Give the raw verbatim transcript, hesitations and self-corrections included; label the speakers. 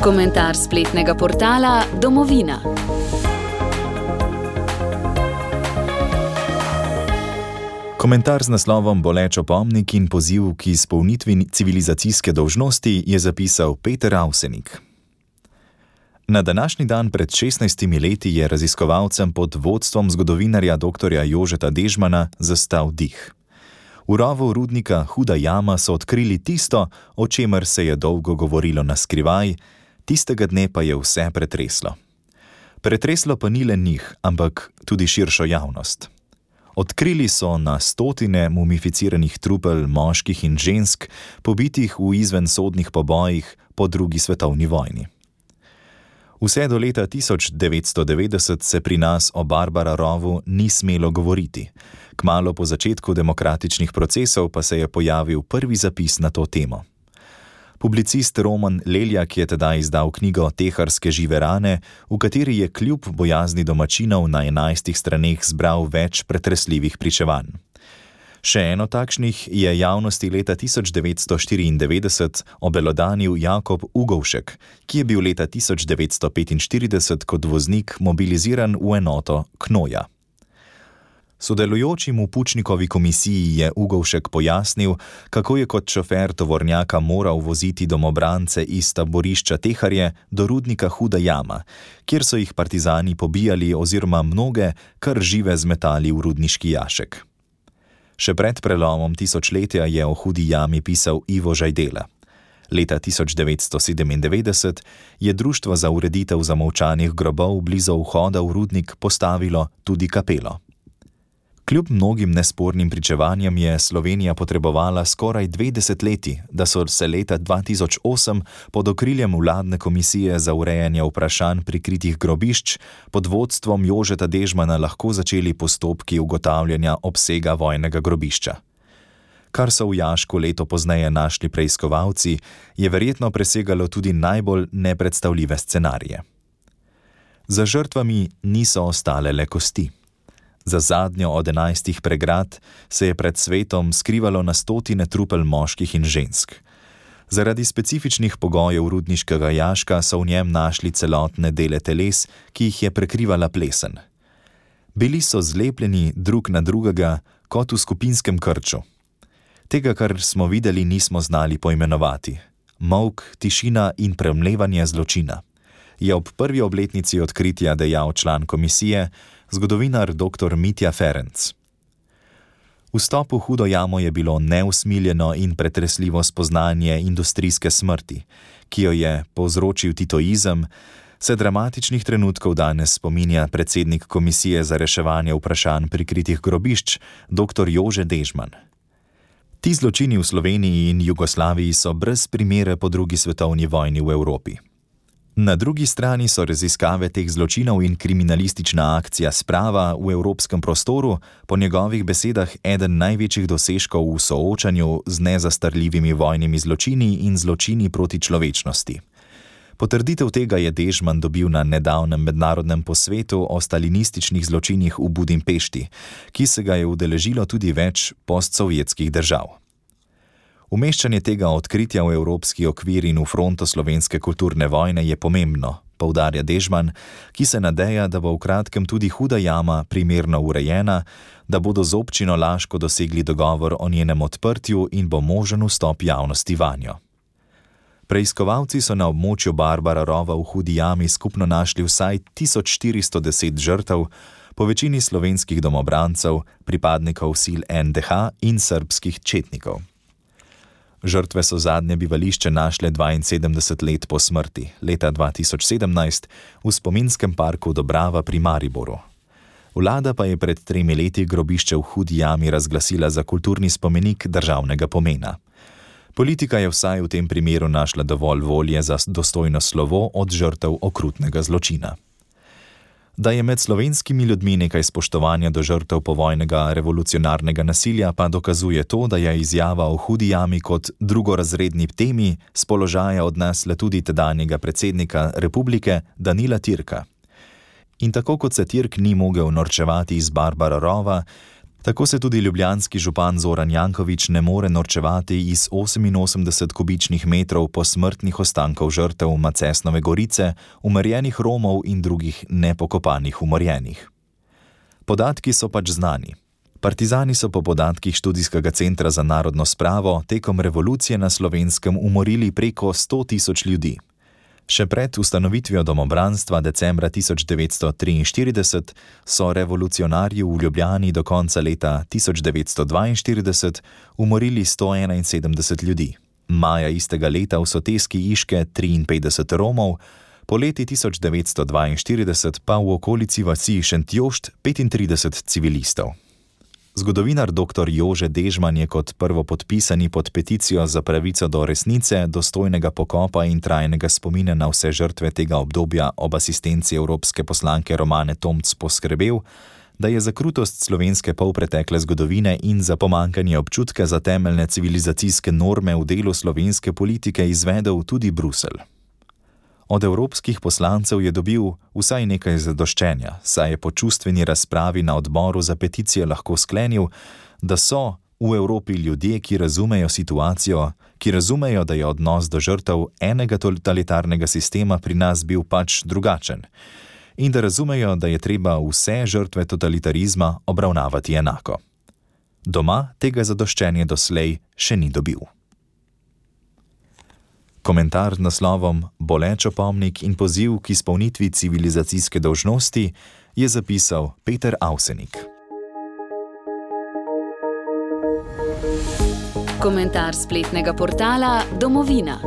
Speaker 1: Komentar spletnega portala Domovina.
Speaker 2: Komentar z naslovom Boleč opomnik in poziv k izpolnitvi civilizacijske dolžnosti je zapisal Peter Avsenik. Na današnji dan pred šestnajstimi leti je raziskovalcem pod vodstvom zgodovinarja doktorja Jožeta Dežmana zastal dih. V rovu rudnika Huda jama so odkrili tisto, o čemer se je dolgo govorilo na skrivaj, tistega dne pa je vse pretreslo. Pretreslo pa ni le njih, ampak tudi širšo javnost. Odkrili so na stotine mumificiranih trupel moških in žensk, pobitih v izvensodnih pobojih po drugi svetovni vojni. Vse do leta tisoč devetsto devetdeset se pri nas o Barbara rovu ni smelo govoriti. Kmalu po začetku demokratičnih procesov pa se je pojavil prvi zapis na to temo. Publicist Roman Leljak je tedaj izdal knjigo Teharske žive rane, v kateri je kljub bojazni domačinov na enajstih straneh zbral več pretresljivih pričevanj. Še eno takšnih je javnosti leta tisoč devetsto štiriindevetdeset obelodanil Jakob Ugovšek, ki je bil leta tisoč devetsto petinštirideset kot voznik mobiliziran v enoto Knoja. Sodelujočim v Pučnikovi komisiji je Ugovšek pojasnil, kako je kot šofer tovornjaka moral voziti domobrance iz taborišča Teharje do rudnika Huda jama, kjer so jih partizani pobijali oziroma mnoge kar žive zmetali v rudniški jašek. Še pred prelomom tisočletja je o Hudi jami pisal Ivo Žajdela. Leta tisoč devetsto sedemindevetdeset je Društvo za ureditev zamolčanih grobov blizu vhoda v rudnik postavilo tudi kapelo. Kljub mnogim nespornim pričevanjem je Slovenija potrebovala skoraj dve desetletji, da so se leta dva tisoč osem pod okriljem vladne komisije za urejanje vprašanj prikritih grobišč pod vodstvom Jožeta Dežmana lahko začeli postopki ugotavljanja obsega vojnega grobišča. Kar so v jašku leto pozneje našli preiskovalci, je verjetno presegalo tudi najbolj nepredstavljive scenarije. Za žrtvami niso ostale le kosti. Za zadnjo od enajstih pregrad se je pred svetom skrivalo na stotine trupel moških in žensk. Zaradi specifičnih pogojev rudniškega jaška so v njem našli celotne dele teles, ki jih je prekrivala plesen. Bili so zlepljeni drug na drugega kot v skupinskem krču. Tega, kar smo videli, nismo znali poimenovati. Molk, tišina in premlevanje zločina, je ob prvi obletnici odkritja dejal član komisije, zgodovinar doktor Mitja Ferenc. Vstop v Hudo jamo je bilo neusmiljeno in pretresljivo spoznanje industrijske smrti, ki jo je povzročil titoizem, se dramatičnih trenutkov danes spominja predsednik Komisije za reševanje vprašanj prikritih grobišč, doktor Jože Dežman. Ti zločini v Sloveniji in Jugoslaviji so brez primere po drugi svetovni vojni v Evropi. Na drugi strani so raziskave teh zločinov in kriminalistična akcija Sprava v evropskem prostoru po njegovih besedah eden največjih dosežkov v soočanju z nezastarljivimi vojnimi zločini in zločini proti človečnosti. Potrditev tega je Dežman dobil na nedavnem mednarodnem posvetu o stalinističnih zločinih v Budimpešti, ki se ga je udeležilo tudi več postsovjetskih držav. Umeščanje tega odkritja v evropski okvir in v fronto slovenske kulturne vojne je pomembno, poudarja Dežman, ki se nadeja, da bo v kratkem tudi Huda jama primerno urejena, da bodo z občino Laško dosegli dogovor o njenem odprtju in bo možen vstop javnosti vanjo. Preiskovalci so na območju Barbara rova v Hudi jami skupno našli vsaj tisoč štiristo deset žrtev, po večini slovenskih domobrancev, pripadnikov sil en de ha in srbskih četnikov. Žrtve so zadnje bivališče našle dvainsedemdeset let po smrti, leta dva tisoč sedemnajst, v spominskem parku Dobrava pri Mariboru. Vlada pa je pred tremi leti grobišče v Hudi jami razglasila za kulturni spomenik državnega pomena. Politika je vsaj v tem primeru našla dovolj volje za dostojno slovo od žrtev okrutnega zločina. Da je med slovenskimi ljudmi nekaj spoštovanja do žrtev povojnega revolucionarnega nasilja, pa dokazuje to, da je izjava o Hudi jami kot drugorazredni temi z položaja odnesla tudi tedanjega predsednika republike Danila Türka. In tako kot se Türk ni mogel norčevati iz Barbara rova, Tako se tudi ljubljanski župan Zoran Janković ne more norčevati iz oseminosemdeset kubičnih metrov posmrtnih ostankov žrtev Macesnove gorice, umorjenih Romov in drugih nepokopanih umorjenih. Podatki so pač znani. Partizani so po podatkih Študijskega centra za narodno spravo tekom revolucije na Slovenskem umorili preko sto tisoč ljudi. Še pred ustanovitvijo domobranstva decembra tisoč devetsto triinštirideset so revolucionarji v Ljubljani do konca leta tisoč devetsto dvainštirideset umorili sto enainsedemdeset ljudi, maja istega leta v soteski Iške triinpetdeset Romov, poleti tisoč devetsto dvainštirideset pa v okolici vasi Šentjošt petintrideset civilistov. Zgodovinar doktor Jože Dežman je kot prvopodpisani pod peticijo za pravico do resnice, dostojnega pokopa in trajnega spomina na vse žrtve tega obdobja ob asistenci evropske poslanke Romane Tomc poskrbel, da je za krutost slovenske polpretekle zgodovine in za pomanjkanje občutka za temeljne civilizacijske norme v delu slovenske politike izvedel tudi Bruselj. Od evropskih poslancev je dobil vsaj nekaj zadoščenja, saj je po čustveni razpravi na odboru za peticije lahko sklenil, da so v Evropi ljudje, ki razumejo situacijo, ki razumejo, da je odnos do žrtev enega totalitarnega sistema pri nas bil pač drugačen in da razumejo, da je treba vse žrtve totalitarizma obravnavati enako. Doma tega zadoščenja doslej še ni dobil. Komentar z naslovom Boleč opomnik in poziv k izpolnitvi civilizacijske dolžnosti je zapisal Peter Avsenik.
Speaker 1: Komentar spletnega portala Domovina.